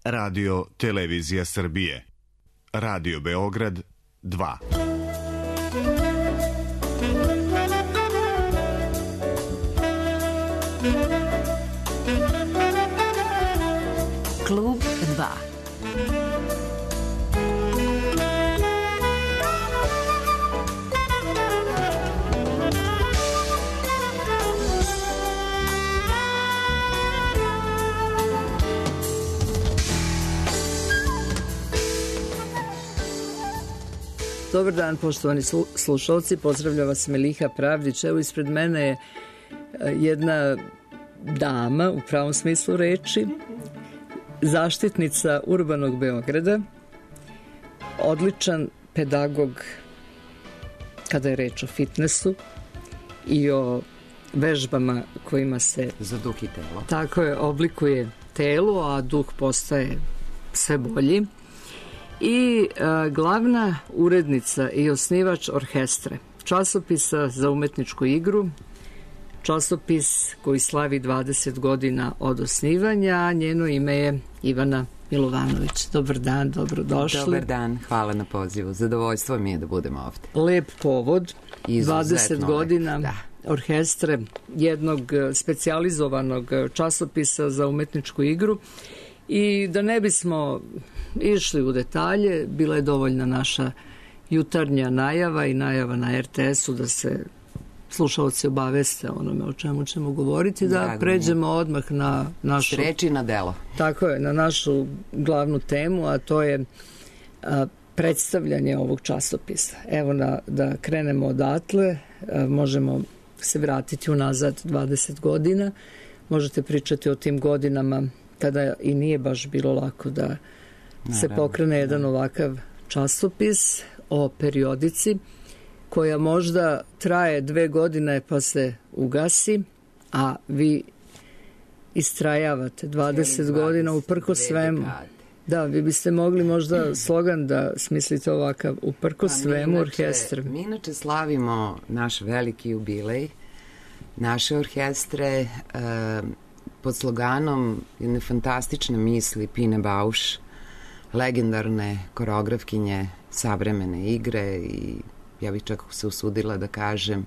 Radio Televizija Srbije. Radio Beograd 2. Klub 2. Dobar dan, poštovani slušalci, pozdravlja vas Meliha Pravdić. Evo, ispred mene je jedna dama, u pravom smislu reči, zaštitnica urbanog Beograda, odličan pedagog kada je reč o fitnessu i o vežbama kojima se za duh i telo. Tako je, oblikuje telo, a duh postaje sve bolji. I glavna urednica i osnivač Orhestre, časopisa za umetničku igru, časopis koji slavi 20 godina od osnivanja. Njeno ime je Ivana Milovanović. Dobar dan, dobrodošli. Dobar dan, hvala na pozivu. Zadovoljstvo mi je da budem ovde. Lep povod, Izuzetno 20 godina da. Orhestre, jednog specijalizovanog časopisa za umetničku igru. I da ne bismo išli u detalje, bila je dovoljna naša jutarnja najava i najava na RTS-u da se slušalci obaveste onome o čemu ćemo govoriti, da pređemo odmah na našu... Reči na delo. Tako je, na našu glavnu temu, a to je predstavljanje ovog časopisa. Evo, da krenemo odatle, možemo se vratiti unazad 20 godina, možete pričati o tim godinama kada i nije baš bilo lako da se pokrene jedan ovakav časopis o periodici koja možda traje 2 godine pa se ugasi, a vi istrajavate 20 godina uprkos svemu. Da, vi biste mogli možda slogan da smislite ovakav, uprkos svemu Orhestre. Mi inače slavimo naš veliki jubilej naše Orhestre pod sloganom jedne fantastične misli Pine Bausch, legendarne koreografkinje savremene igre i ja bih čak se usudila da kažem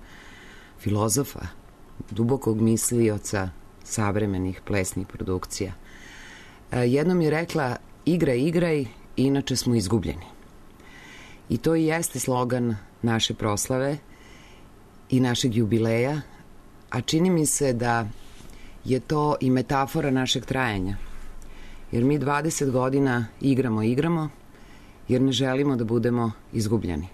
filozofa, dubokog mislioca savremenih plesnih produkcija. Jednom je rekla: igraj, inače smo izgubljeni. I to i jeste slogan naše proslave i našeg jubileja, a čini mi se da je to i metafora našeg trajanja. Jer mi 20 godina igramo, jer ne želimo da budemo izgubljeni.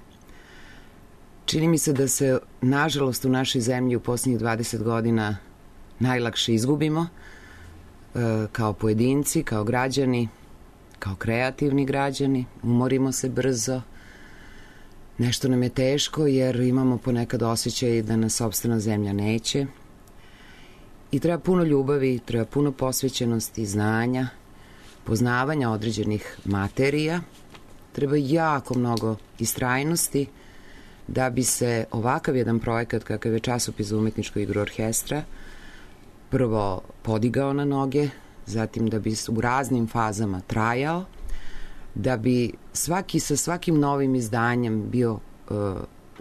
Čini mi se da se, nažalost, u našoj zemlji u posljednjih 20 godina najlakše izgubimo, kao pojedinci, kao građani, kao kreativni građani, umorimo se brzo, nešto nam je teško jer imamo ponekad osjećaj da nas sopstvena zemlja neće. I treba puno ljubavi, treba puno posvećenosti, znanja, poznavanja određenih materija, treba jako mnogo istrajnosti da bi se ovakav jedan projekat kakav je časopis za umetničku igru Orhestra prvo podigao na noge, zatim da bi u raznim fazama trajao, da bi svaki sa svakim novim izdanjem bio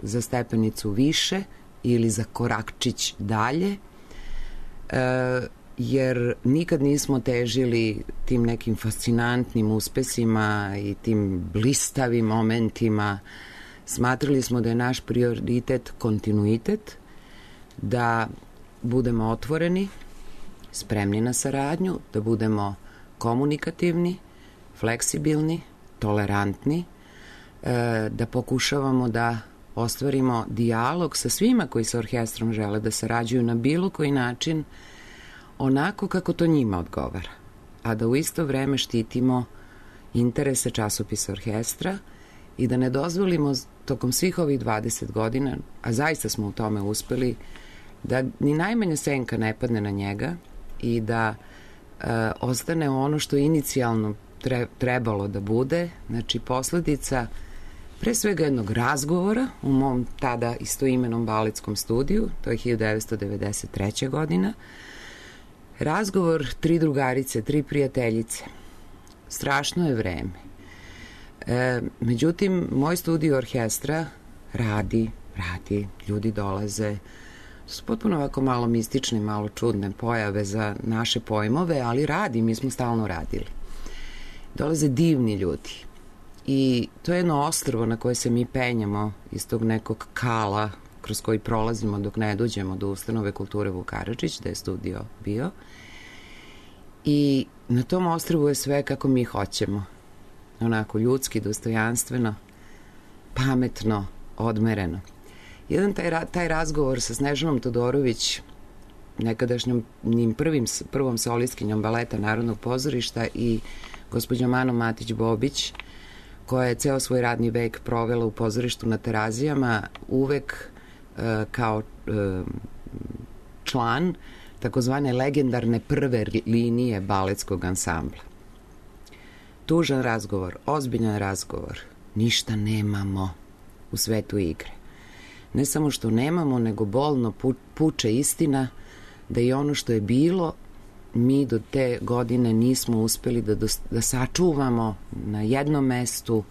za stepenicu više ili za korakčić dalje, jer nikad nismo težili tim nekim fascinantnim uspesima i tim blistavim momentima. Smatrali smo da je naš prioritet kontinuitet, da budemo otvoreni, spremni na saradnju, da budemo komunikativni, fleksibilni, tolerantni, da pokušavamo da ostvarimo dijalog sa svima koji sa orkestrom žele da sarađuju na bilo koji način, onako kako to njima odgovara, a da u isto vreme štitimo interese časopisa Orhestra i da ne dozvolimo tokom svih ovih 20 godina, a zaista smo u tome uspeli, da ni najmanja senka ne padne na njega i da ostane ono što inicijalno trebalo da bude, znači posledica pre svega jednog razgovora u mom tada istoimenom baletskom studiju, to je 1993. godina, razgovor 3 drugarice, 3 prijateljice strašno je vreme. Međutim, moj studio orkestra radi, ljudi dolaze. To su potpuno ovako malo mistične, malo čudne pojave za naše pojmove, ali radi, mi smo stalno radili. Dolaze divni ljudi. I to je jedno ostrvo na koje se mi penjamo iz tog nekog kala kroz koji prolazimo dok ne dođemo do ustanove kulture Vuk Karadžić, da je studio bio. I na tom ostrvu je sve kako mi hoćemo. Onako ljudski, dostojanstveno, pametno, odmereno. Jedan taj razgovor sa Snežanom Todorović, nekadašnjom prvom solistkinjom baleta Narodnog pozorišta i gospođom Anom Matić-Bobić, koja je ceo svoj radni vek provela u pozorištu na Terazijama, uvek kao član takozvane legendarne prve linije baletskog ansambla. Tužan razgovor, ozbiljan razgovor, ništa nemamo u svetu igre. Ne samo što nemamo, nego bolno puče istina da i ono što je bilo, mi do te godine nismo uspeli da sačuvamo na jednom mestu,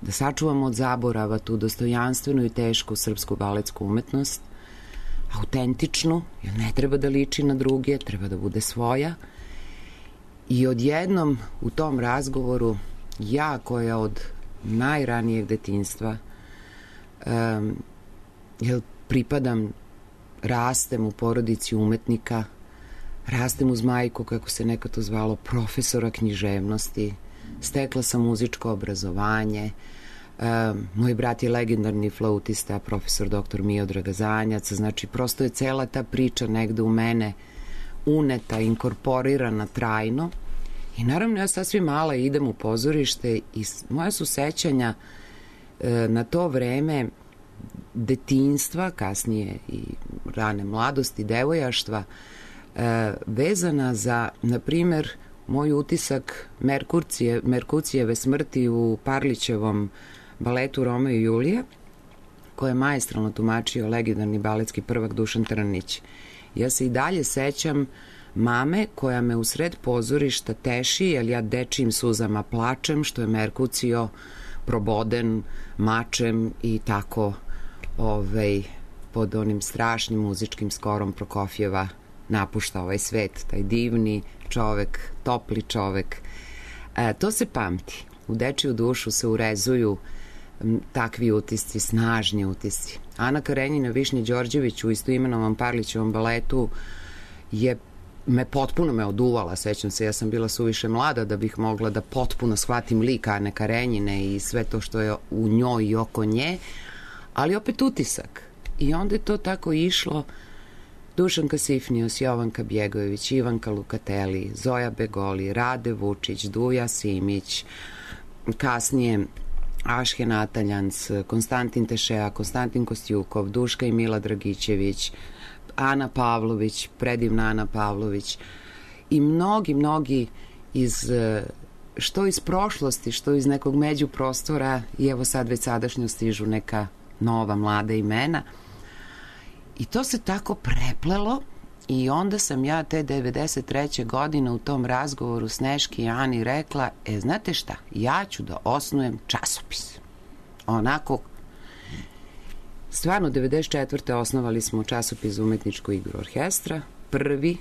da sačuvamo od zaborava tu dostojanstvenu i tešku srpsku baletsku umetnost, autentičnu, jer ne treba da liči na druge, treba da bude svoja. I odjednom u tom razgovoru ja, koja od najranijeg detinjstva pripadam, rastem u porodici umetnika, rastem uz majku, kako se nekad to zvalo, profesora književnosti, stekla sam muzičko obrazovanje, moj brat je legendarni flautista, profesor dr. Miodrag Zanjac, znači prosto je cela ta priča negde u mene uneta, inkorporirana trajno. I naravno ja sasvim mala idem u pozorište i moja su sećanja na to vreme detinjstva, kasnije i rane mladosti, devojaštva, vezana za, na primer, moj utisak Merkucijeve smrti u Parlićevom baletu Romeo i Julija, koje je maestralno tumačio legendarni baletski prvak Dušan Trnić. Ja se i dalje sećam mame koja me usred pozorišta teši, jer ja dečijim suzama plačem, što je Merkucio proboden mačem i tako pod onim strašnim muzičkim skorom Prokofjeva napušta ovaj svet, taj divni čovek, topli čovek. To se pamti. U dečiju dušu se urezuju takvi utisci, snažni utisci. Ana Karenjina Višnje Đorđević u istoimenovom Parlićevom baletu je potpuno me oduvala, sećam se, ja sam bila suviše mlada da bih mogla da potpuno shvatim lik Ane Karenjine i sve to što je u njoj i oko nje, ali opet utisak. I onda je to tako išlo. Dušanka Sifnius, Jovanka Bjegojević, Ivanka Lukateli, Zoja Begoli, Rade Vučić, Duja Simić, kasnije Ašhe Nataljans, Konstantin Tešea, Konstantin Kostjukov, Duška i Mila Dragićević, Ana Pavlović, predivna Ana Pavlović i mnogi što iz prošlosti, što iz nekog međuprostora i evo sad već sadašnjo stižu neka nova mlada imena. I to se tako preplelo i onda sam ja te 93. godine u tom razgovoru Sneški i Ani rekla, znate šta, ja ću da osnujem časopis. Onako, stvarno 94. osnovali smo časopis za umetničku igru orkestra, prvi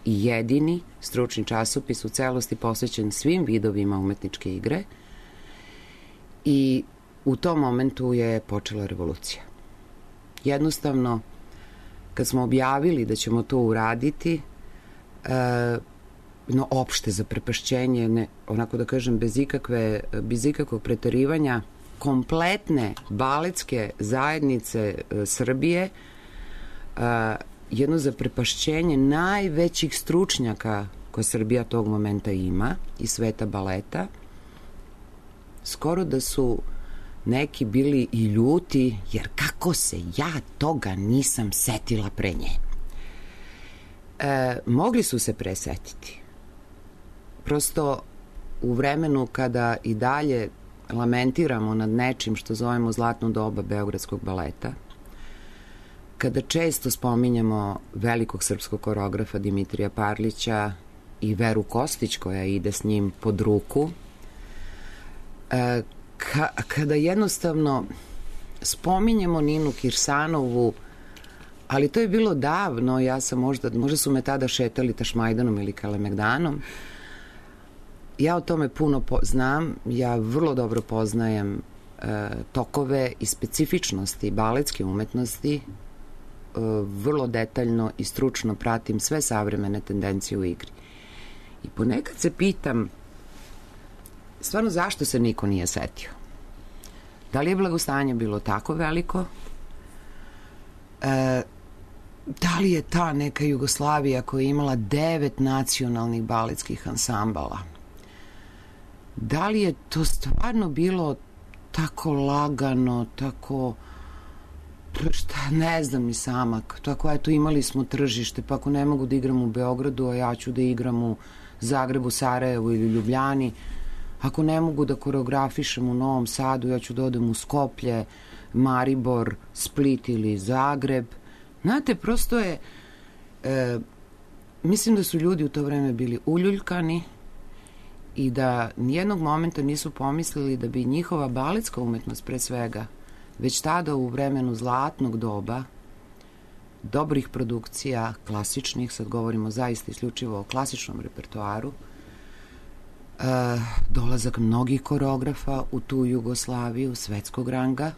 i jedini stručni časopis u celosti posvećen svim vidovima umetničke igre i u tom momentu je počela revolucija. Jednostavno, kad smo objavili da ćemo to uraditi, opšte zaprepašćenje, onako da kažem, bez ikakvog preterivanja, kompletne baletske zajednice Srbije, jedno zaprepašćenje najvećih stručnjaka koje Srbija tog momenta ima iz sveta baleta, skoro da su neki bili i ljuti, jer kako se ja toga nisam setila pre nje. Mogli su se presetiti. Prosto u vremenu kada i dalje lamentiramo nad nečim što zovemo zlatno doba beogradskog baleta, kada često spominjemo velikog srpskog koreografa Dimitrija Parlića i Veru Kostić koja ide s njim pod ruku, kada jednostavno spominjemo Ninu Kirsanovu, ali to je bilo davno, ja sam možda su me tada šetali Tašmajdanom ili Kalemegdanom. Ja o tome puno znam, ja vrlo dobro poznajem tokove i specifičnosti baletske umetnosti, vrlo detaljno i stručno pratim sve savremene tendencije u igri. I ponekad se pitam stvarno zašto se niko nije setio. Da li je blagostanje bilo tako veliko? Da li je ta neka Jugoslavija koja je imala 9 nacionalnih baletskih ansambala? Da li je to stvarno bilo tako lagano, tako, ne znam ni sama, tako eto imali smo tržište, pa ako ne mogu da igram u Beogradu, a ja ću da igram u Zagrebu, Sarajevu ili Ljubljani, ako ne mogu da koreografišem u Novom Sadu, ja ću da odem u Skoplje, Maribor, Split ili Zagreb. Znate, prosto je, mislim da su ljudi u to vreme bili uljuljkani i da nijednog momenta nisu pomislili da bi njihova baletska umetnost pre svega, već tada u vremenu zlatnog doba, dobrih produkcija, klasičnih, sad govorimo zaista isključivo o klasičnom repertoaru, dolazak mnogih koreografa u tu Jugoslaviju, svetskog ranga.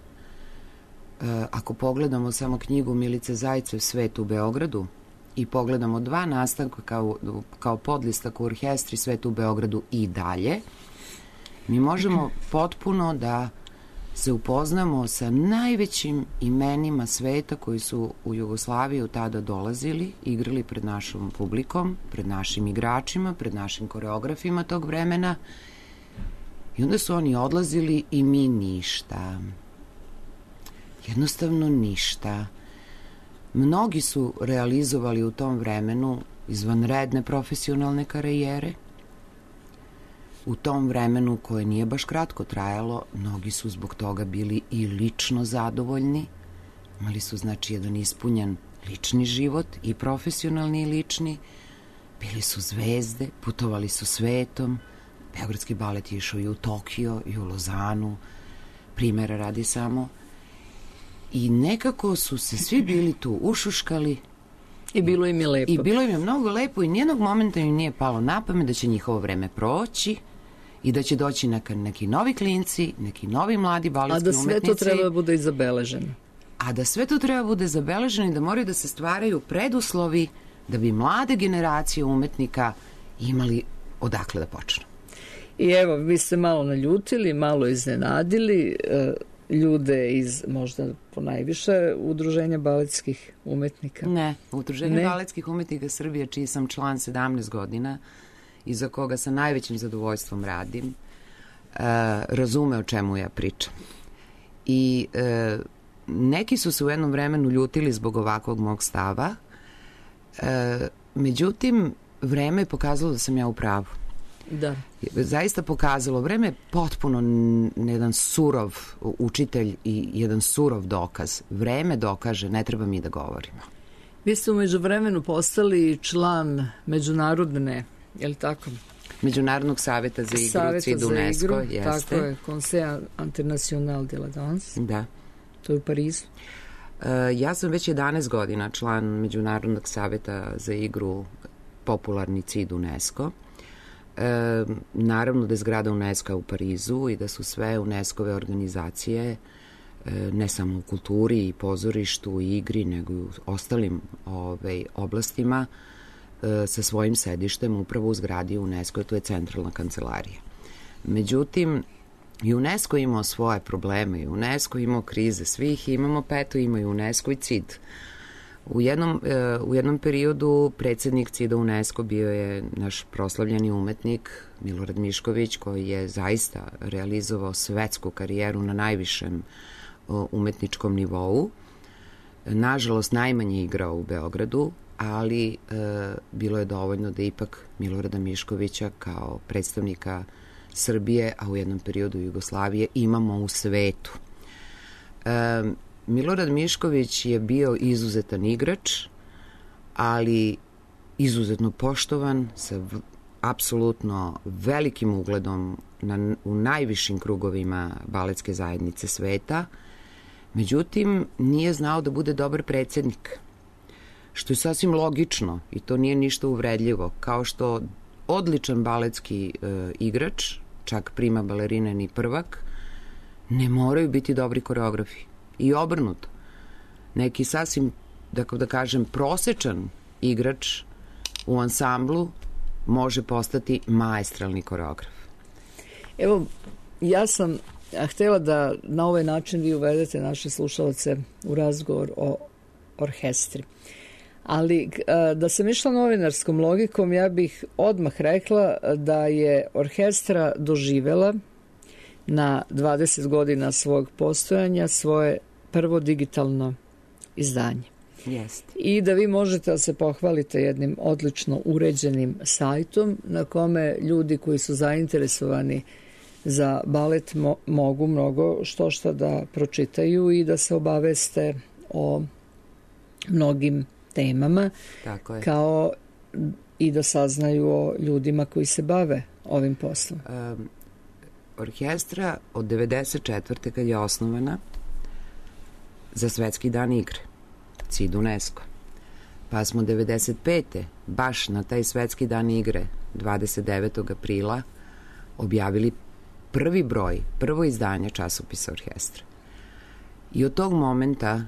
Ako pogledamo samo knjigu Milice Zajcev Svet u Beogradu i pogledamo 2 nastanka kao podlistak u orkestri Svet u Beogradu i dalje, mi možemo potpuno da se upoznamo sa najvećim imenima sveta koji su u Jugoslaviju tada dolazili, igrali pred našom publikom, pred našim igračima, pred našim koreografima tog vremena, i onda su oni odlazili i mi ništa. Jednostavno ništa. Mnogi su realizovali u tom vremenu izvanredne profesionalne karijere. U tom vremenu koje nije baš kratko trajalo, mnogi su zbog toga bili i lično zadovoljni. Imali su, znači, jedan ispunjen lični život, i profesionalni i lični. Bili su zvezde, putovali su svetom. Beogradski balet je išao i u Tokio, i u Lozanu. Primera radi samo. I nekako su se svi bili tu ušuškali. I bilo im je lepo. I bilo im je mnogo lepo i nijednog momenta im nije palo na pamet da će njihovo vreme proći i da će doći neki novi klinci, neki novi mladi baletski umetnici. A da sve to treba da bude i zabeleženo. A da sve to treba bude zabeleženo i da moraju da se stvaraju preduslovi da bi mlade generacije umetnika imali odakle da počnu. I evo, vi ste malo naljutili, malo iznenadili ljude iz možda ponajviše udruženja baletskih umetnika. Ne, udruženje baletskih umetnika Srbije, čiji sam član 17 godina i za koga sa najvećim zadovoljstvom radim, razume o čemu ja pričam. I neki su se u jednom vremenu ljutili zbog ovakvog mog stava, međutim, vreme je pokazalo da sam ja u pravu. Da. Zaista pokazalo. Vreme je potpuno jedan surov učitelj i jedan surov dokaz. Vreme dokaže, ne treba mi da govorimo. Vi ste umeđu vremenu postali član međunarodne, je li tako? Međunarodnog saveta za igru, CID UNESCO, jeste. Tako je, Conseil International de la Danse. Da. To je u Parizu. Ja sam već 11 godina član Međunarodnog saveta za igru, popularni CID UNESCO. Naravno da je zgrada UNESCO u Parizu i da su sve UNESCO-ve organizacije, ne samo u kulturi i pozorištu i igri, nego i u ostalim oblastima, sa svojim sedištem upravo u zgradi UNESCO, to je centralna kancelarija. Međutim, i UNESCO imao svoje probleme, i UNESCO imao krize svih, imamo peto, ima i UNESCO i CID. U jednom periodu predsednik CID-a UNESCO bio je naš proslavljeni umetnik Milorad Mišković, koji je zaista realizovao svetsku karijeru na najvišem umetničkom nivou. Nažalost, najmanje igrao u Beogradu, ali bilo je dovoljno da ipak Milorada Miškovića kao predstavnika Srbije, a u jednom periodu Jugoslavije, imamo u svetu. Milorad Mišković je bio izuzetan igrač, ali izuzetno poštovan, sa apsolutno velikim ugledom u najvišim krugovima baletske zajednice sveta. Međutim, nije znao da bude dobar predsednik, što je sasvim logično i to nije ništa uvredljivo, kao što odličan baletski igrač, čak prima balerina ni prvak, ne moraju biti dobri koreografi. I obrnuto. Neki sasvim, da kažem, prosečan igrač u ansamblu može postati maestralni koreograf. Evo, ja sam htjela da na ovaj način vi uvedete naše slušalce u razgovor o orkestri. Ali da sam išla novinarskom logikom, ja bih odmah rekla da je orkestra doživela na 20 godina svog postojanja svoje prvo digitalno izdanje. Jest. I da vi možete da se pohvalite jednim odlično uređenim sajtom na kome ljudi koji su zainteresovani za balet mogu mnogo što da pročitaju i da se obaveste o mnogim temama, tako je, kao i da saznaju o ljudima koji se bave ovim poslom. Orkestra od 94. kad je osnovana za Svetski dan igre, CID UNESCO, pa smo 95. baš na taj Svetski dan igre 29. aprila objavili prvi broj, prvo izdanje časopisa orkestra. I od tog momenta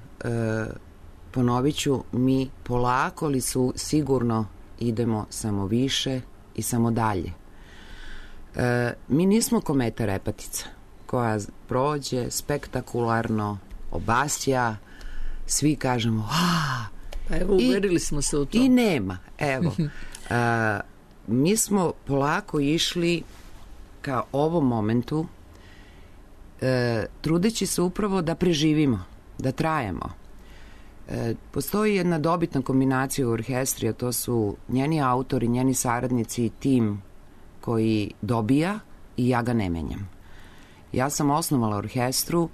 ponovit ću, mi polako li su sigurno idemo samo više i samo dalje. Mi nismo kometa Repatica koja prođe spektakularno, obasja, svi kažemo pa evo, uverili smo se u to. I nema, evo. Mi smo polako išli ka ovom momentu, trudeći se upravo da preživimo, da trajemo. Postoji jedna dobitna kombinacija u orkestri, a to su njeni autori, njeni saradnici i tim koji dobija i ja ga ne menjam. Ja sam osnovala orkestru,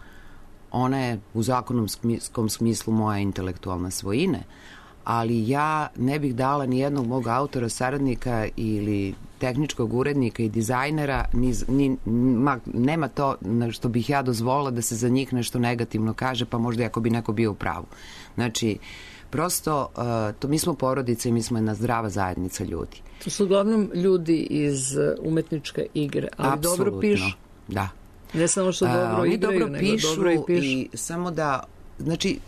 ona je u zakonomskom smislu moja intelektualna svojine, ali ja ne bih dala ni jednog mog autora, saradnika ili tehničkog urednika i dizajnera, nema to na što bih ja dozvolila da se za njih nešto negativno kaže, pa možda ako bi neko bio u pravu. Znači, prosto, mi smo porodica i mi smo jedna zdrava zajednica ljudi. To su uglavnom ljudi iz umetničke igre, ali apsolutno, dobro pišu. Da. Ne samo što dobro igraju, dobro nego dobro i pišu. I samo da, znači,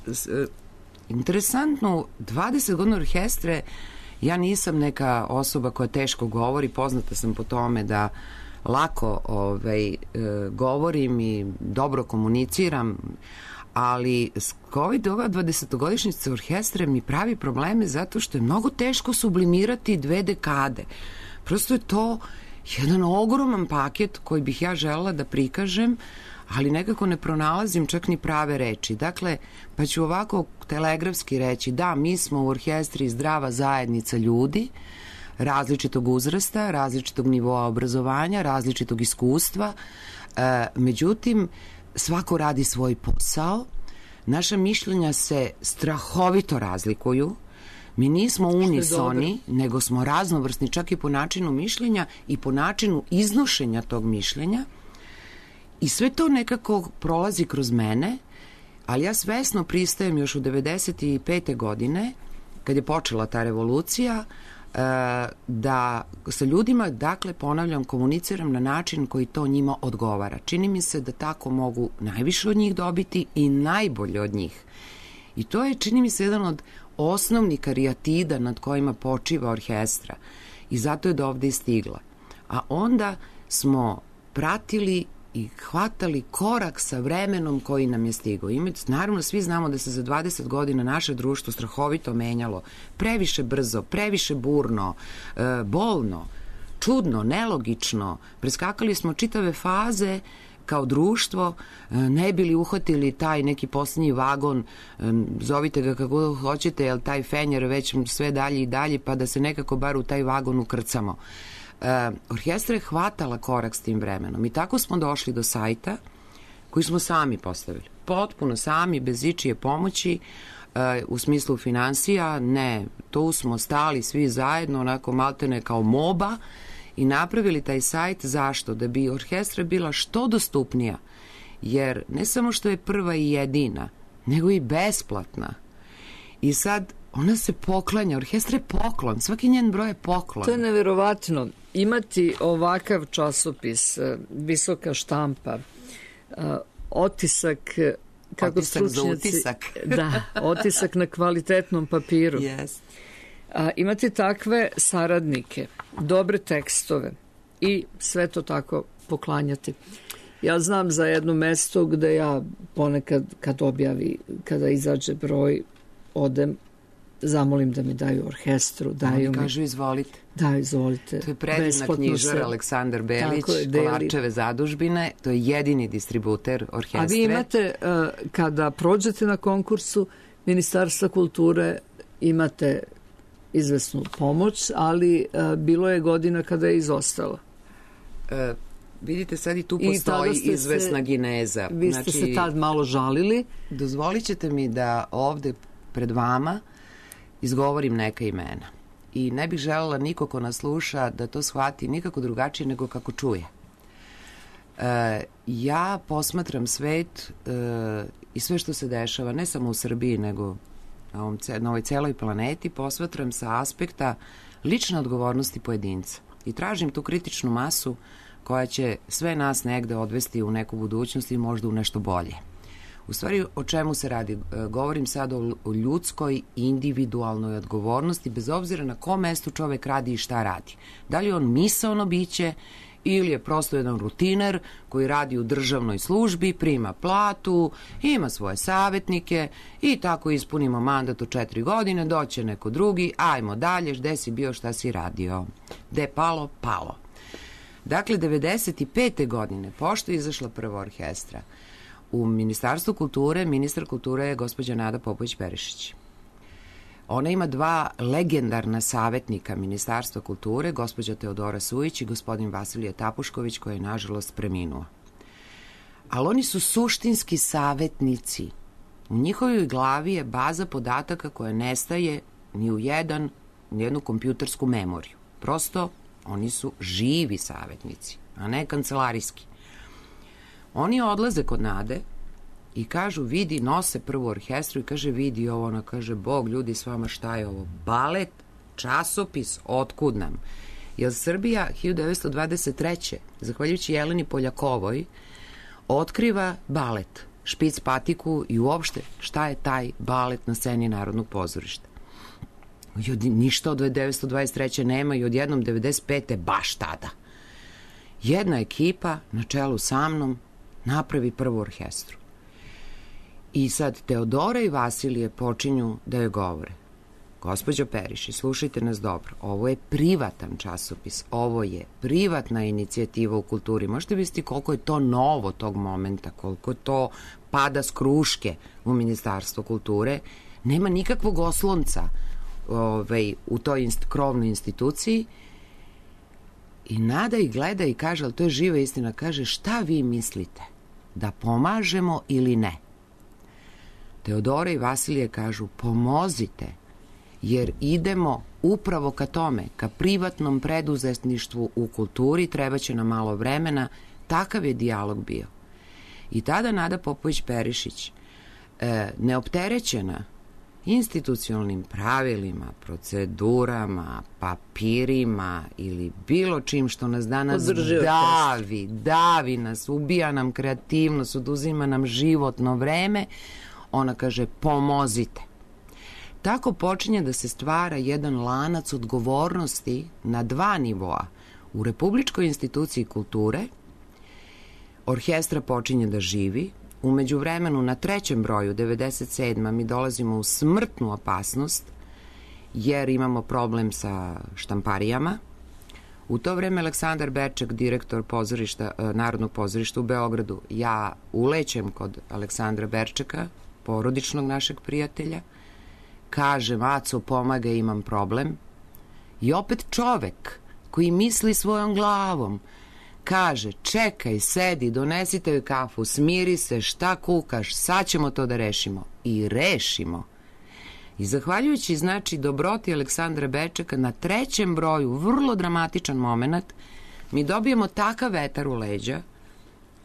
interesantno, 20 godina orkestre, ja nisam neka osoba koja teško govori, poznata sam po tome da lako govorim i dobro komuniciram, ali ova 20-godišnjica orkestre mi pravi probleme zato što je mnogo teško sublimirati 2 dekade. Prosto je to jedan ogroman paket koji bih ja želela da prikažem, ali nekako ne pronalazim čak ni prave reči. Dakle, pa ću ovako telegrafski reći, da, mi smo u orkestri zdrava zajednica ljudi, različitog uzrasta, različitog nivoa obrazovanja, različitog iskustva, međutim, svako radi svoj posao, naša mišljenja se strahovito razlikuju, mi nismo unisoni, nego smo raznovrsni čak i po načinu mišljenja i po načinu iznošenja tog mišljenja. I sve to nekako prolazi kroz mene, ali ja svesno pristajem još u 95. godine, kad je počela ta revolucija, da sa ljudima, dakle, ponavljam, komuniciram na način koji to njima odgovara. Čini mi se da tako mogu najviše od njih dobiti i najbolje od njih. I to je, čini mi se, jedan od osnovnih karijatida nad kojima počiva orkestra. I zato je do ovde i stigla. A onda smo pratili i hvatali korak sa vremenom koji nam je stigao. Naravno, svi znamo da se za 20 godina naše društvo strahovito menjalo. Previše brzo, previše burno, bolno, čudno, nelogično. Preskakali smo čitave faze kao društvo, ne bili uhvatili taj neki posljednji vagon, zovite ga kako hoćete, jer taj fenjer već sve dalje i dalje, pa da se nekako bar u taj vagon ukrcamo. Orkestra je hvatala korak s tim vremenom i tako smo došli do sajta koji smo sami postavili. Potpuno sami, bez ičije pomoći. u smislu finansija, ne, tu smo stali svi zajedno, onako maltene kao moba i napravili taj sajt. Zašto? Da bi orkestra bila što dostupnija, jer ne samo što je prva i jedina, nego i besplatna. I sad ona se poklanja, orkestra je poklon, svaki njen broj je poklon. To je neverovatno. Imati ovakav časopis, visoka štampa, otisak, kako otisak stručnjaci, za utisak. Da, otisak na kvalitetnom papiru. Yes. Imati takve saradnike, dobre tekstove i sve to tako poklanjati. Ja znam za jedno mesto gde ja ponekad kad objavi, kada izađe broj, odem, zamolim da mi daju orkestru, daju mi... Kažu izvolite. Da, izvolite. To je predivna knjižar Aleksandar Belić, Kolarčeve zadužbine, to je jedini distributer orkestre. A vi imate, kada prođete na konkursu Ministarstva kulture, imate izvesnu pomoć, ali bilo je godina kada je izostala. Vidite, sad i tu postoji izvesna gineza. Vi ste se tad malo žalili. Dozvolit ćete mi da ovde pred vama izgovorim neka imena. I ne bih želela niko ko nas sluša da to shvati nikako drugačije nego kako čuje. Ja posmatram svet i sve što se dešava, ne samo u Srbiji, nego na ovoj celoj planeti, posmatram sa aspekta lične odgovornosti pojedinca. I tražim tu kritičnu masu koja će sve nas negde odvesti u neku budućnost i možda u nešto bolje. U stvari, o čemu se radi? Govorim sad o ljudskoj individualnoj odgovornosti, bez obzira na kom mestu čovek radi i šta radi. Da li je on misaono biće ili je prosto jedan rutiner koji radi u državnoj službi, prima platu, ima svoje savetnike i tako ispunimo mandat od 4 godine, doće neko drugi, ajmo dalje, gde si bio, šta si radio. Gde palo, palo. Dakle, 95. godine, pošto je izašla prva orkestra, u Ministarstvu kulture, ministar kulture je gospođa Nada Popović-Perišić. Ona ima 2 legendarna savetnika Ministarstva kulture, gospođa Teodora Sujić i gospodin Vasilije Tapušković, koji je nažalost preminuo. Ali oni su suštinski savetnici. U njihovoj glavi je baza podataka koja nestaje ni u jednu kompjutersku memoriju. Prosto, oni su živi savetnici, a ne kancelarijski. Oni odlaze kod Nade i kažu, vidi, nose prvu orkestru i kaže, vidi ovo, ona kaže, Bog, ljudi, s vama šta je ovo? Balet, časopis, otkud nam? Jer Srbija 1923. zahvaljujući Jeleni Poljakovoj, otkriva balet, špic patiku i uopšte šta je taj balet na sceni Narodnog pozorišta. Ništa od 1923. nema i odjednom 95. baš tada. Jedna ekipa na čelu sa mnom napravi prvu orkestru. I sad Teodora i Vasilije počinju da joj govore. Gospođo Perišić, slušajte nas dobro. Ovo je privatan časopis. Ovo je privatna inicijativa u kulturi. Možete misliti koliko je to novo tog momenta, koliko to pada s kruške u Ministarstvo kulture. Nema nikakvog oslonca u toj krovnoj instituciji. I Nada ih gleda i kaže, ali to je živa istina, kaže, šta vi mislite? Da pomažemo ili ne? Teodora i Vasilije kažu, pomozite, jer idemo upravo ka tome, ka privatnom preduzetništvu u kulturi, treba će nam malo vremena. Takav je dijalog bio. I tada Nada Popović-Perišić, neopterećena institucionalnim pravilima, procedurama, papirima ili bilo čim što nas danas davi nas, ubija nam kreativnost, oduzima nam životno vreme, ona kaže, pomozite. Tako počinje da se stvara jedan lanac odgovornosti na 2 nivoa. U Republičkoj instituciji kulture orkestra počinje da živi. U međuvremenu na 3. broju, 97. mi dolazimo u smrtnu opasnost jer imamo problem sa štamparijama. U to vreme Aleksandar Berček, direktor Narodnog pozorišta u Beogradu, ja ulećem kod Aleksandra Berčeka, porodičnog našeg prijatelja, kažem, Aco, pomagaj, imam problem. I opet čovek koji misli svojom glavom kaže, čekaj, sedi, donesite joj kafu, smiri se, šta kukaš, sad ćemo to da rešimo. I rešimo. I zahvaljujući, znači, dobroti Aleksandra Bečeka, na 3. broju, vrlo dramatičan moment, mi dobijemo takav vetar u leđa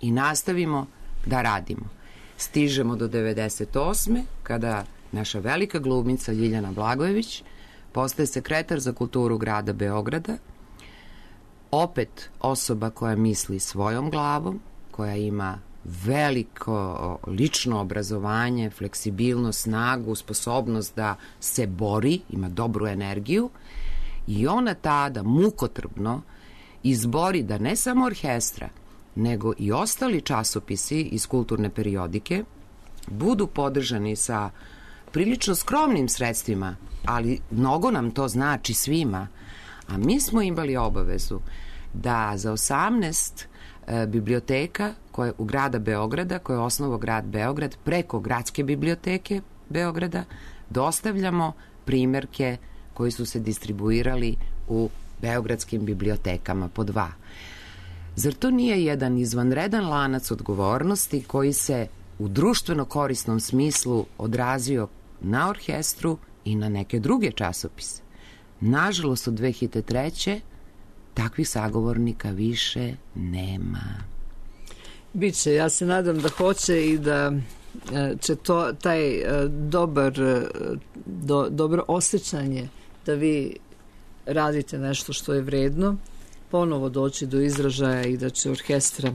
i nastavimo da radimo. Stižemo do 98. kada naša velika glumica Ljiljana Blagojević postaje sekretar za kulturu grada Beograda, opet osoba koja misli svojom glavom, koja ima veliko lično obrazovanje, fleksibilnost, snagu, sposobnost da se bori, ima dobru energiju i ona tada mukotrpno izbori da ne samo orkestra, nego i ostali časopisi iz kulturne periodike budu podržani sa prilično skromnim sredstvima, ali mnogo nam to znači svima. A mi smo imali obavezu da za 18 biblioteka koje u grada Beograda, koje je osnovao grad Beograd, preko gradske biblioteke Beograda, dostavljamo primerke koji su se distribuirali u beogradskim bibliotekama po 2. Zar to nije jedan izvanredan lanac odgovornosti koji se u društveno korisnom smislu odrazio na orkestru i na neke druge časopise? Nažalost, od 2003. takvih sagovornika više nema. Biće, ja se nadam da hoće i da će taj dobro osjećanje da vi radite nešto što je vredno ponovo doći do izražaja i da će orkestra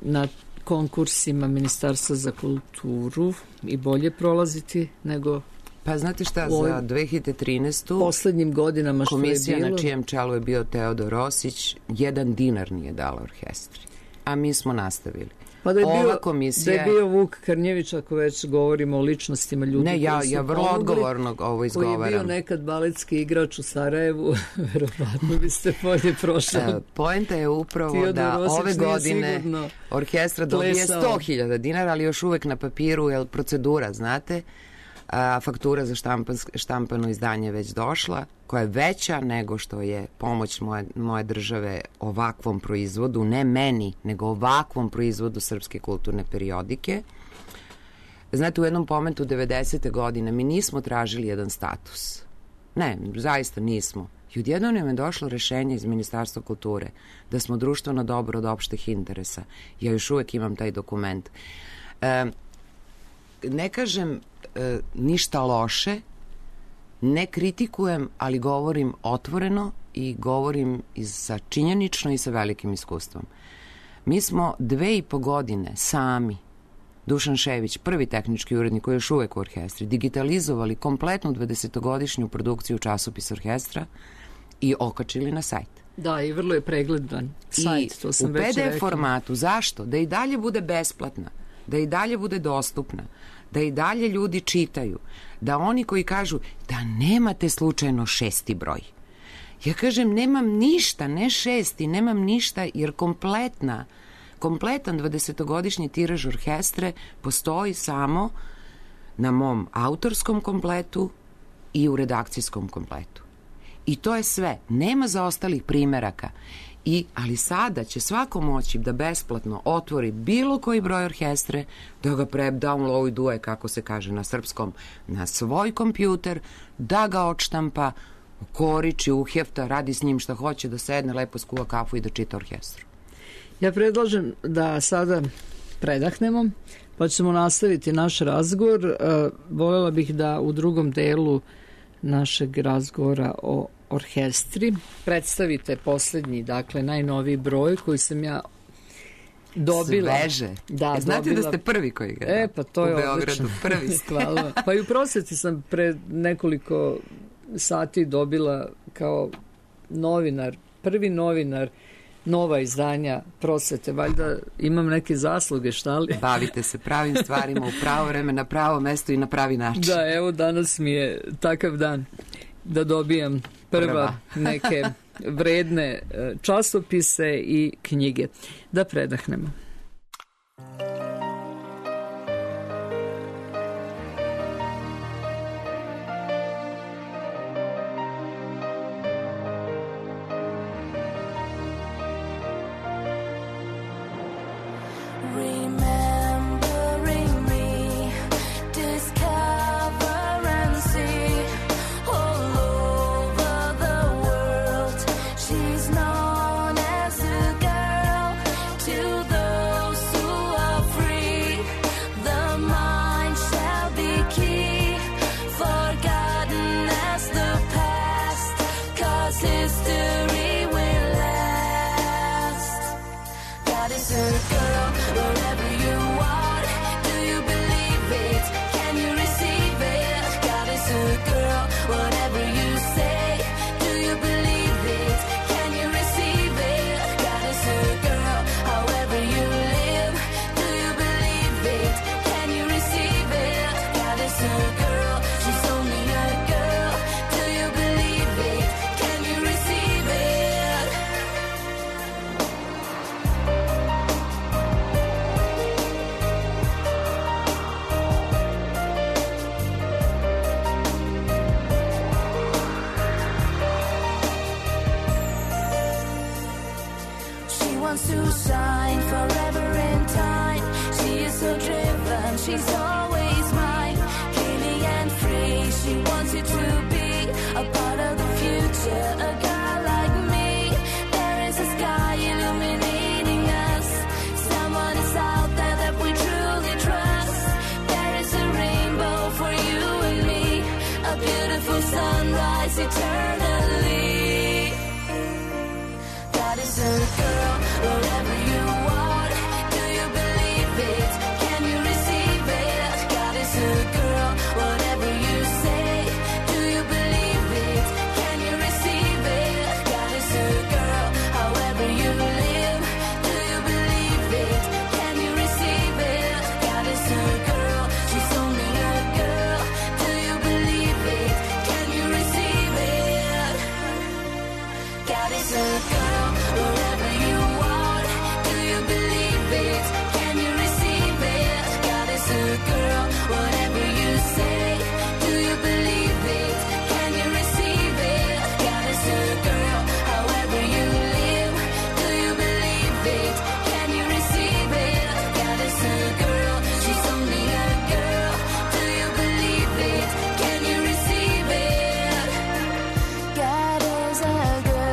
na konkursima Ministarstva za kulturu i bolje prolaziti nego pa znate šta, za 2013. poslednjim godinama što je bilo. Komisija na čijem čelu je bio Teodor Rosić 1 dinar nije dala orkestri. A mi smo nastavili. Pa da je bio Vuk Karnjević, ako već govorimo o ličnostima ljudi ne, ja vrlo odgovorno ovo izgovaram. Koji je bio nekad baletski igrač u Sarajevu, verovatno biste bolje prošli. Poenta je upravo da ove godine orkestra dobije 100.000 dinara, ali još uvek na papiru, jer procedura, znate, faktura za štampano izdanje već došla, koja je veća nego što je pomoć moje države ovakvom proizvodu, ne meni, nego ovakvom proizvodu srpske kulturne periodike. Znate, u jednom momentu 90. godine mi nismo tražili jedan status. Ne, zaista nismo. I odjednom nam je došlo rešenje iz Ministarstva kulture da smo društveno dobro od opštih interesa. Ja još uvek imam taj dokument. Ne kažem ništa loše, ne kritikujem, ali govorim otvoreno i govorim sa činjenično i sa velikim iskustvom. Mi smo 2,5 godine sami, Dušan Šević, prvi tehnički urednik koji je još uvek u orkestri, digitalizovali kompletnu 20-godišnju produkciju časopisa orkestra i okačili na sajt. Da, i vrlo je pregledan sajt, to sam već rekla. I u PDF formatu. Zašto? Da i dalje bude besplatna, da i dalje bude dostupna, da i dalje ljudi čitaju, da oni koji kažu da nemate slučajno 6. broj. Ja kažem, nemam ništa, ne 6, nemam ništa, jer kompletan 20-godišnji tiraž orkestre postoji samo na mom autorskom kompletu i u redakcijskom kompletu. I to je sve. Nema zaostalih primeraka. Ali sada će svako moći da besplatno otvori bilo koji broj orkestre, da ga downloaduje, kako se kaže na srpskom, na svoj kompjuter, da ga odštampa, ukoriči, uhjefta, radi s njim šta hoće, da sedne, lepo skuva kafu i da čita orkestru. Ja predlažem da sada predahnemo, pa ćemo nastaviti naš razgovor. Voljela bih da u drugom delu našeg razgovora o orkestri predstavite poslednji, dakle najnoviji broj koji sam ja dobila. Sveže. Da, znate da ste prvi koji ga pa to je u Beogradu. Prvi. Hvala. Pa i u prosveti sam pre nekoliko sati dobila kao novinar, prvi novinar nova izdanja prosvete. Valjda imam neke zasluge, šta li? Bavite se pravim stvarima u pravo vreme, na pravo mesto i na pravi način. Da, evo danas mi je takav dan da dobijam prva neke vredne časopise i knjige. Da predahnemo. Remembering me, discover and see. is a girl, wherever you are. Do you believe it? Can you receive it? God is a girl, whatever you say. Do you believe it? Can you receive it? God is a girl, however you live. Do you believe it? Can you receive it? God is a girl, she's only a girl. Do you believe it? Can you receive it? She wants to shine forever in time. She is so driven, she's always mine. Clearly and free, she wants you to be a part of the future. A girl like me, there is a sky illuminating us. Someone is out there that we truly trust. There is a rainbow for you and me, a beautiful sunrise eternally. God is a girl, wherever you are. Do you believe it? Can you receive it? God is a girl, whatever you say. Do you believe it? Can you receive it? God is a girl, however you live. Do you believe it? Can you receive it? God is a girl, she's only a girl. Do you believe it? Can you receive it? God is a girl, wherever you are. Do you believe it? Can you receive it? God is a girl, whatever you say. Do you believe it? Can you receive it? God is a girl, however you live. Do you believe it? Can you receive it? God is a girl, she's only a girl. Do you believe it? Can you receive it? God is a girl.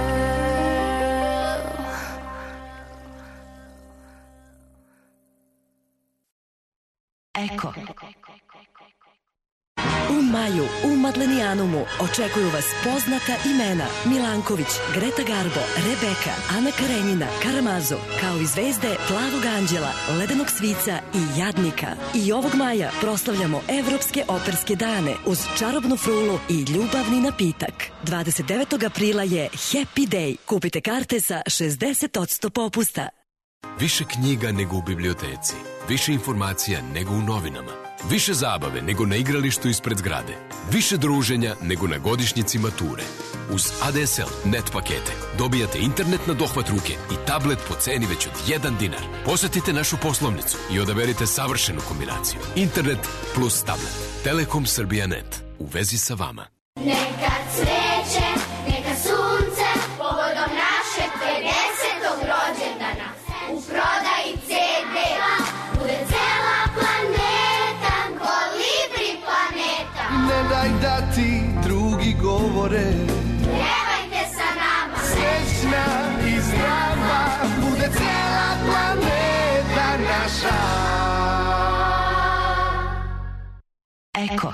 Eko. U maju u Madlenijanumu očekuju vas poznata imena Milanković, Greta Garbo, Rebeka, Ana Karenjina, Karamazo, kao i zvezde Plavog anđela, Ledenog svica i Jadnika. I ovog maja proslavljamo Evropske operske dane uz čarobnu frulu i ljubavni napitak. 29. aprila je Happy Day. Kupite karte sa 60% popusta. Više knjiga nego u biblioteci, više informacija nego u novinama, više zabave nego na igralištu ispred zgrade, više druženja nego na godišnjici mature. Uz ADSL net pakete dobijate internet na dohvat ruke i tablet po ceni već od 1 dinar. Posetite našu poslovnicu i odaberite savršenu kombinaciju. Internet plus tablet. Telekom Srbija Net. U vezi sa vama. Neka cveće, neka sunce, povodom našeg 50. rođendana. U prodaji CD-a bude cela planeta, Kolibri planeta. Ne daj da ti drugi govore, Pjevajte sa nama, srećna i zdrava, bude cela planeta naša. Eko.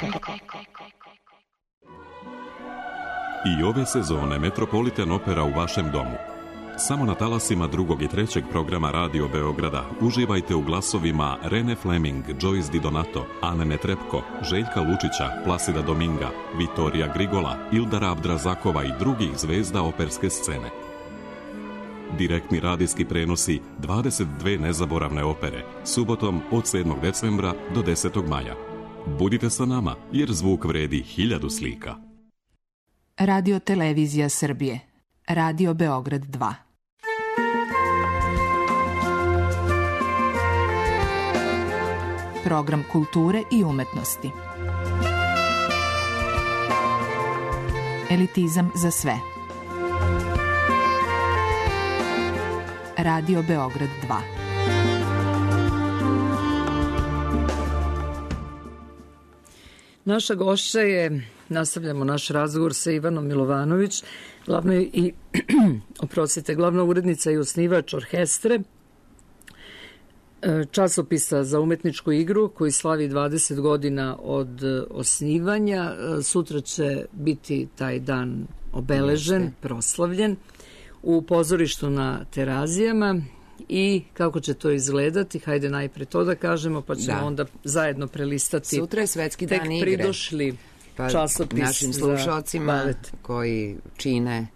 I ove sezone Metropolitan Opera u vašem domu. Samo na talasima 2. i 3. programa Radio Beograda uživajte u glasovima Rene Fleming, Joyce Di Donato, Ane Netrepko, Željka Lučića, Plasida Dominga, Vitorija Grigola, Ildara Abdrazakova i drugih zvezda operske scene. Direktni radijski prenosi 22 nezaboravne opere, subotom od 7. decembra do 10. maja. Budite sa nama, jer zvuk vredi 1000 slika. Radio Televizija Srbije. Radio Beograd 2. Program kulture i umetnosti. Elitizam za sve. Radio Beograd 2. Naša gošća je, nastavljamo naš razgovor sa Ivanom Milovanović, glavna urednica i osnivač orkestre, časopisa za umetničku igru koji slavi 20 godina od osnivanja. Sutra će biti taj dan obeležen, proslavljen u pozorištu na Terazijama i kako će to izgledati. Hajde najpre to da kažemo, pa ćemo onda zajedno prelistati. Sutra je Svetski dan igre. Tek pridošli časopis našim slušalcima koji čine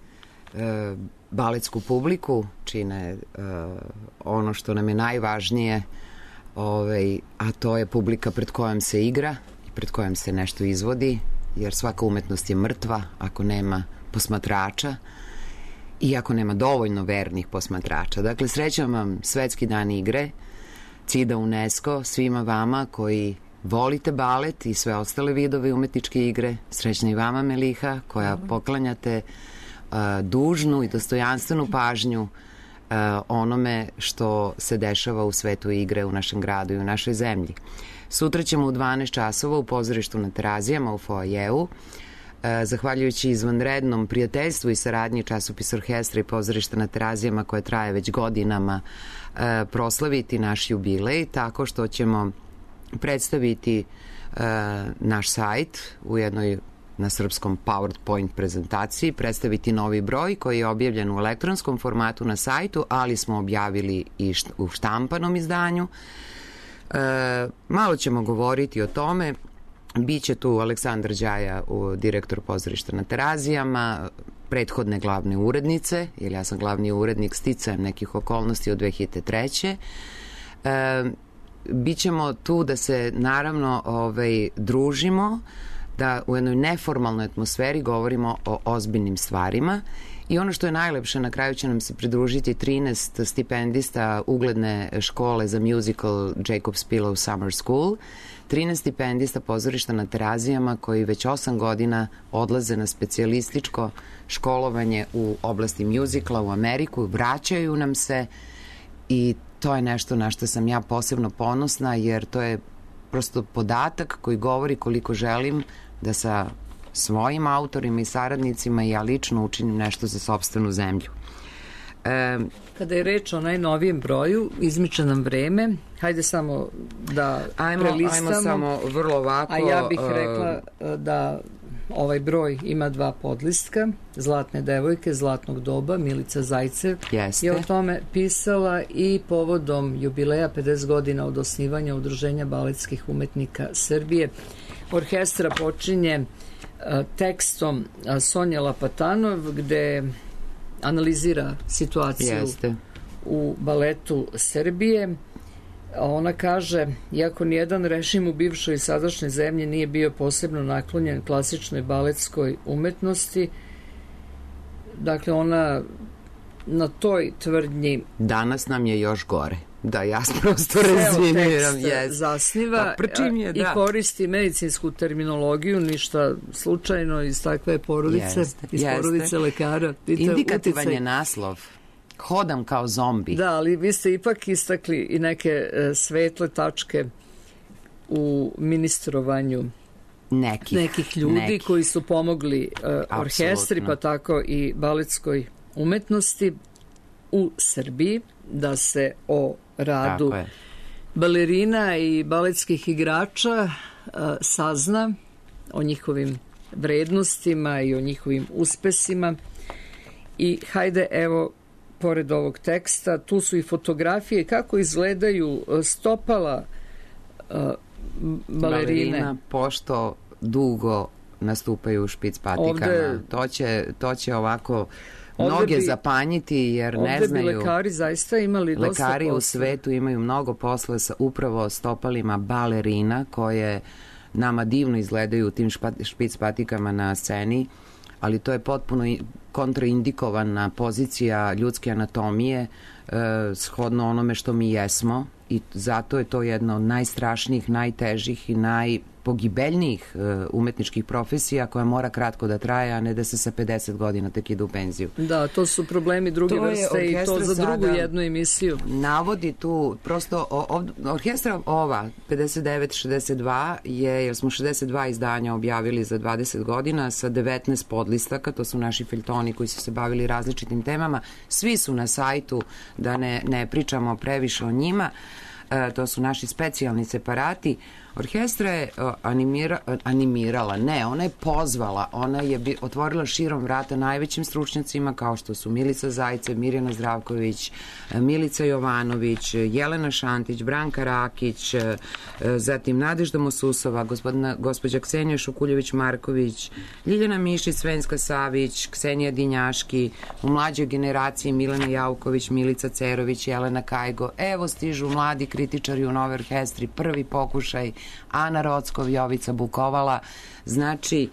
baletsku publiku, čine ono što nam je najvažnije, a to je publika pred kojom se igra i pred kojom se nešto izvodi, jer svaka umetnost je mrtva ako nema posmatrača i ako nema dovoljno vernih posmatrača. Dakle, srećam vam Svetski dan igre, CIDA UNESCO, svima vama koji volite balet i sve ostale vidove umetničke igre. Srećna i vama, Meliha, koja poklanjate dužnu i dostojanstvenu pažnju onome što se dešava u svetu igre u našem gradu i u našoj zemlji. Sutra ćemo u 12 časova u pozorištu na Terazijama u foajeu, zahvaljujući izvanrednom prijateljstvu i saradnji časopisa Orkestra i pozorišta na Terazijama koje traje već godinama, proslaviti naš jubilej tako što ćemo predstaviti naš sajt u jednoj na srpskom PowerPoint prezentaciji, predstaviti novi broj koji je objavljen u elektronskom formatu na sajtu, ali smo objavili i u štampanom izdanju. Malo ćemo govoriti o tome. Biće tu Aleksandar Đaja, direktor pozorišta na Terazijama, prethodne glavne urednice, jer ja sam glavni urednik sticajem nekih okolnosti od 2003. Bićemo tu da se naravno družimo, da u jednoj neformalnoj atmosferi govorimo o ozbiljnim stvarima i ono što je najlepše, na kraju će nam se pridružiti 13 stipendista ugledne škole za musical Jacob's Pillow Summer School, 13 stipendista pozorišta na Terazijama koji već 8 godina odlaze na specijalističko školovanje u oblasti muzikla u Ameriku, vraćaju nam se i to je nešto na što sam ja posebno ponosna, jer to je prosto podatak koji govori koliko želim da sa svojim autorima i saradnicima i ja lično učinim nešto za sopstvenu zemlju. Kada je reč o najnovijem broju, izmiče nam vreme. Hajde samo da prelistamo. Ajmo samo vrlo ovako. A ja bih rekla da ovaj broj ima 2 podlistka. Zlatne devojke, Zlatnog doba, Milica Zajcev je o tome pisala i povodom jubileja 50 godina od osnivanja Udruženja baletskih umetnika Srbije. Orkestra počinje tekstom Sonja Lapatanov, gde analizira situaciju u baletu Srbije. Ona kaže, iako nijedan režim u bivšoj i sadašnjoj zemlji nije bio posebno naklonjen klasičnoj baletskoj umetnosti, dakle ona na toj tvrdnji danas nam je još gore. Da, ja prosto rezimiram. Zasniva i koristi medicinsku terminologiju, ništa slučajno iz takve porodice, iz porodice lekara. Indikativan je naslov. Hodam kao zombi. Da, ali vi ste ipak istakli i neke svetle tačke u ministrovanju nekih ljudi koji su pomogli orkestri, pa tako i baletskoj umetnosti u Srbiji, da se o radu balerina i baletskih igrača sazna, o njihovim vrednostima i o njihovim uspesima. I hajde, evo, pored ovog teksta, tu su i fotografije kako izgledaju stopala balerine. Pošto dugo nastupaju u špic patikama. To će ovako mnoge zapanjiti, jer ne znaju. Ovde bi lekari zaista imali dosta posla. Lekari u svetu imaju mnogo posla sa upravo stopalima balerina, koje nama divno izgledaju u tim špic patikama na sceni, ali to je potpuno kontraindikovana pozicija ljudske anatomije shodno onome što mi jesmo, i zato je to jedna od najstrašnijih, najtežih i najpogibeljnijih umetničkih profesija koja mora kratko da traje, a ne da se sa 50 godina tek ide u penziju. Da, to su problemi druge vrste i to za drugu jednu emisiju. Navodi tu, prosto orkestra ova 59-62 je, jer smo 62 izdanja objavili za 20 godina sa 19 podlistaka, to su naši feljtoni koji su se bavili različitim temama, svi su na sajtu, da ne pričamo previše o njima. To su naši specijalni separati. Orkestra je animirala, ne, ona je pozvala, ona je otvorila širom vrata najvećim stručnjacima kao što su Milica Zajce, Mirjana Zdravković, Milica Jovanović, Jelena Šantić, Branka Rakić, zatim Nadežda Mosusova, gospođa Ksenija Šukuljević-Marković, Ljiljana Mišić, Svenska Savić, Ksenija Dinjaški, u mlađoj generaciji Milena Jauković, Milica Cerović, Jelena Kajgo, evo stižu mladi kritičari u Nove orkestri, prvi pokušaj, Ana Rockov, Jovica Bukovala. Znači,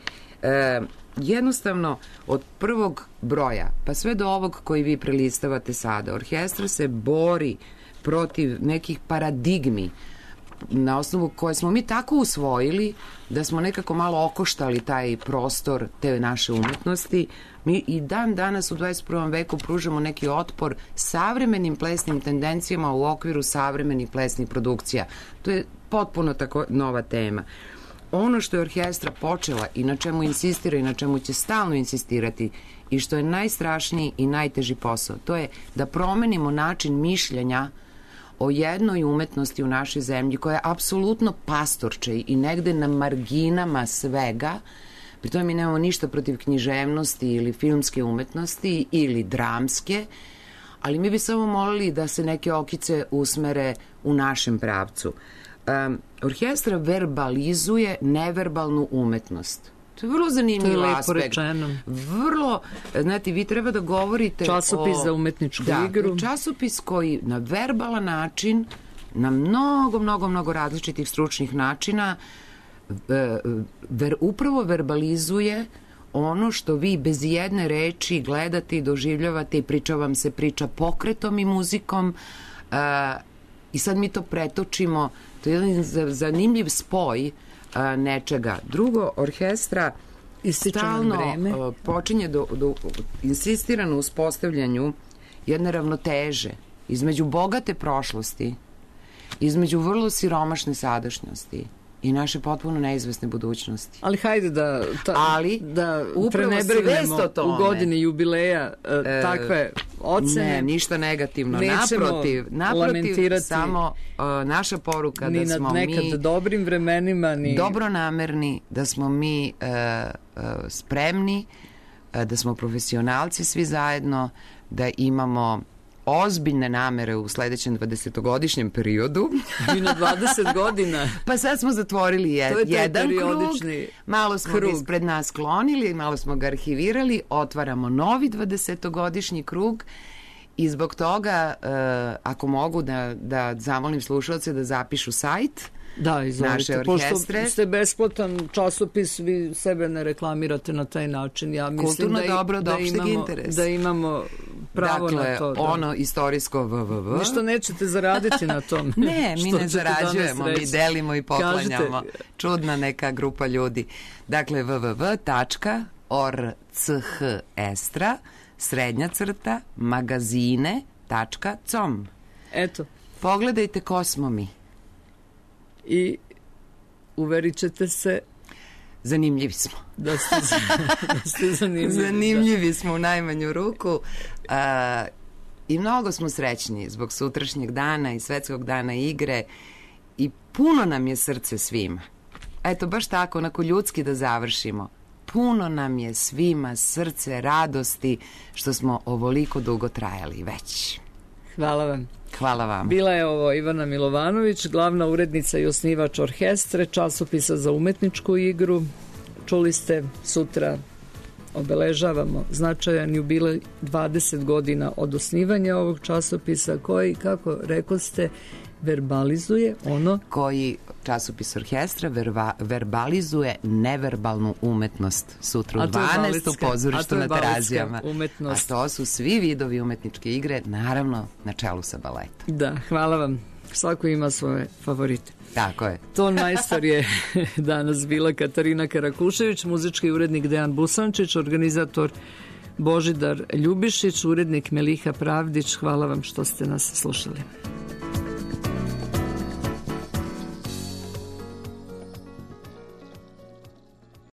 jednostavno od prvog broja pa sve do ovog koji vi prelistavate sada, orkestra se bori protiv nekih paradigmi na osnovu koje smo mi tako usvojili da smo nekako malo okoštali taj prostor te naše umetnosti. Mi i dan danas u 21. veku pružamo neki otpor savremenim plesnim tendencijama u okviru savremenih plesnih produkcija. To je potpuno tako nova tema. Ono što je orkestra počela i na čemu insistira i na čemu će stalno insistirati i što je najstrašniji i najteži posao, to je da promenimo način mišljenja o jednoj umetnosti u našoj zemlji koja je apsolutno pastorče i negde na marginama svega. Pri tome mi nemamo ništa protiv književnosti ili filmske umetnosti ili dramske, ali mi bi samo molili da se neke okice usmere u našem pravcu. Orkestra verbalizuje neverbalnu umetnost. To je vrlo zanimljiv aspekt. To je lepo rečeno. Vrlo, znate, vi treba da govorite časopis za umetničku igru. Časopis koji na verbalan način, na mnogo različitih stručnih načina upravo verbalizuje ono što vi bez jedne reči gledate i doživljavate i priča vam se priča pokretom i muzikom i sad mi to pretočimo. To je jedan zanimljiv spoj nečega. Drugo, orkestra stalno počinje insistira na uspostavljanju jedne ravnoteže između bogate prošlosti, između vrlo siromašne sadašnjosti i naše potpuno neizvesne budućnosti. Ali hajde da prenebrignemo u godini jubileja takve ocene. Ne, ništa negativno. Naprotiv, samo naša poruka da smo mi nekad dobrim vremenima dobronamerni, da smo mi spremni, da smo profesionalci svi zajedno, da imamo ozbiljne namere u sledećem 20-godišnjem periodu. I na 20 godina. Pa sad smo zatvorili jedan krug, malo smo ga ispred nas sklonili, malo smo ga arhivirali, otvaramo novi 20-godišnji krug i zbog toga, ako mogu da zamolim slušalce da zapišu sajt naše orkestre. Pošto ste besplatan časopis, vi sebe ne reklamirate na taj način. Ja mislim kulturno dobro od opšteg interesa. Da imamo pravo na to. Dakle, ono istorijsko www. Ništa nećete zaraditi na tom. Ne, mi ne zarađujemo, mi delimo i poklanjamo. Čudna neka grupa ljudi. Dakle, www.orchestra_magazine.com. Eto. Pogledajte ko smo mi. I uverit ćete se zanimljivi smo. Da ste zanimljivi. Zanimljivi smo u najmanju ruku i mnogo smo srećni zbog sutrašnjeg dana i Svetskog dana igre i puno nam je srce svima. Eto, baš tako, onako ljudski da završimo. Puno nam je svima srce radosti što smo ovoliko dugo trajali već. Hvala vam. Hvala vam. Bila je ovo Ivana Milovanović, glavna urednica i osnivač orkestre, časopisa za umetničku igru. Čuli ste, sutra obeležavamo značajan jubilej 20 godina od osnivanja ovog časopisa koji, kako rekoste, verbalizuje ono... Koji časopis orkestra verbalizuje neverbalnu umetnost sutra u 12. u pozorištu na Terazijama. A to su svi vidovi umetničke igre, naravno na čelu sa baletom. Da, hvala vam. Svako ima svoje favorite. Tako je. Ton majstor je danas bila Katarina Karakušević, muzički urednik Dejan Busančić, organizator Božidar Ljubišić, urednik Meliha Pravdić. Hvala vam što ste nas slušali.